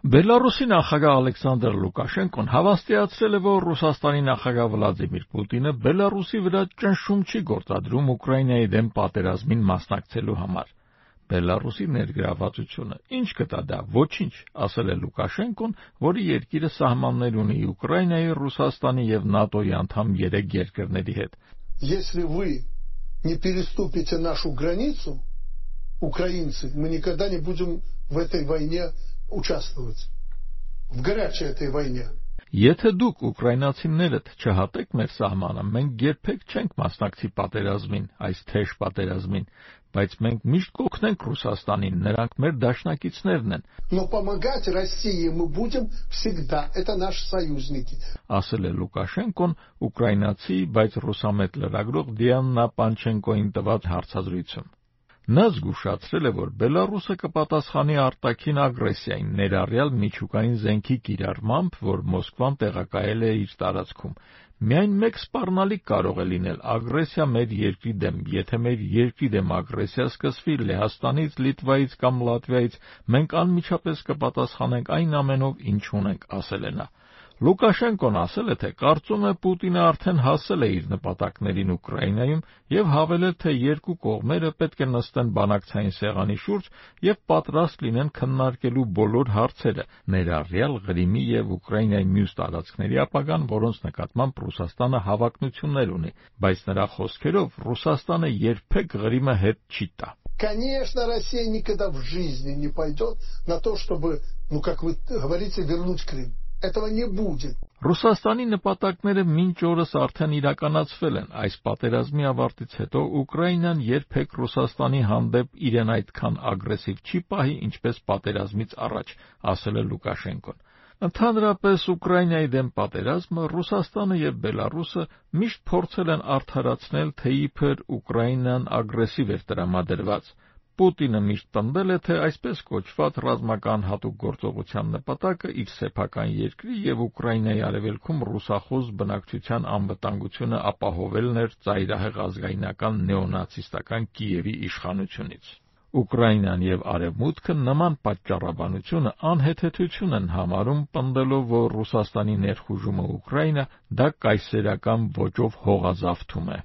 Բելարուսի նախագահ Ալեքսանդր Լուկաշենկոն հավաստիացրել է, որ Ռուսաստանի նախագահ Վլադիմիր Պուտինը Բելարուսի վրա ճնշում չի գործադրում Ուկրաինայի դեմ պատերազմին մասնակցելու համար։ Բելարուսի ներգրավվածությունը ինչ կտա դա, ոչինչ, ասել է Լուկաշենկոն, որի երկիրը սահմաններ ունի Ուկրաինայի, Ռուսաստանի եւ ՆԱՏՕ-ի անդամ 3 երկրների հետ։ Если вы не переступите нашу границу, украинцы, мы никогда не будем в этой войне участвовать. В горячей этой войне. Եթե դուք ուկրաինացիներդ չհատեք մեր սահմանը, մենք երբեք չենք մասնակցի պատերազմին, այս թեժ պատերազմին, բայց մենք միշտ կօգնենք Ռուսաստանին, նրանք մեր դաշնակիցներն են։ Но помогать России мы будем всегда. Это наши союзники. Ասել է Լուկաշենկոն ուկրաինացի, բայց ռուսամետ լրագրող Դիանա Պանչենկոին տված հարցազրույցում։ Նա զգուշացրել է, որ Բելարուսը կպատասխանի արտաքին ագրեսիային, ներառյալ միջուկային զենքի կիրառմամբ, որ Մոսկվան տեղակայել է իր տարածքում։ Միայն մեկ սպառնալիք կարող է լինել ագրեսիա մեր երկրի դեմ, եթե մեր երկրի դեմ ագրեսիա սկսվի Լեհաստանից, Լիտվայից կամ Լատվիայից, մենք անմիջապես կպատասխանենք այն ամենով, ինչ ունենք, ասել է նա։ Լուկաշենկոն ասել է, թե կարծում է Պուտինը արդեն հասել է իր նպատակներին Ուկրաինայում եւ հավելել, թե երկու կողմերը պետք է նստեն բանակցային սեղանի շուրջ եւ պատրաստ լինեն քննարկելու բոլոր հարցերը, ներառյալ Ղրիմի եւ Ուկրաինայի մյուս տարածքների ապագան, որոնց նկատմամբ Ռուսաստանը հավակնություններ ունի, բայց նրա խոսքերով Ռուսաստանը երբեք Ղրիմը հետ չի տա։ Конечно, Россия никогда в жизни не пойдет на то, чтобы, как вы говорите, вернуть Крым. Этого не будет. Ռուսաստանի նպատակները մինչ օրս արդեն իրականացվել են։ Այս պատերազմի ավարտից հետո Ուկրաինան երբեք Ռուսաստանի հանդեպ իրեն այդքան ագրեսիվ չի պահի, ինչպես պատերազմից առաջ, ասել է Լուկաշենկոն։ Ընդհանրապես Ուկրաինայի դեմ պատերազմը Ռուսաստանը եւ Բելարուսը միշտ փորձել են արդարացնել, թե իբր Ուկրաինան ագրեսիվ էր տրամադրված։ Պուտինը միշտ պնդել է, թե այսպես կոչված ռազմական հատուկ գործողության նպատակը իր սեփական երկրի եւ Ուկրաինայի արևելքում ռուսախոս բնակչության անվտանգությունը ապահովելն էր ծայրահեղ ազգայնական նեոնացիստական Կիևի իշխանությունից։ Ուկրաինան եւ Արևմուտքը նման պատճառաբանությունը անհեթեթություն են համարում, պնդելով, որ Ռուսաստանի ներխուժումը Ուկրաինա դա կայսերական ոճով հողազավթում է։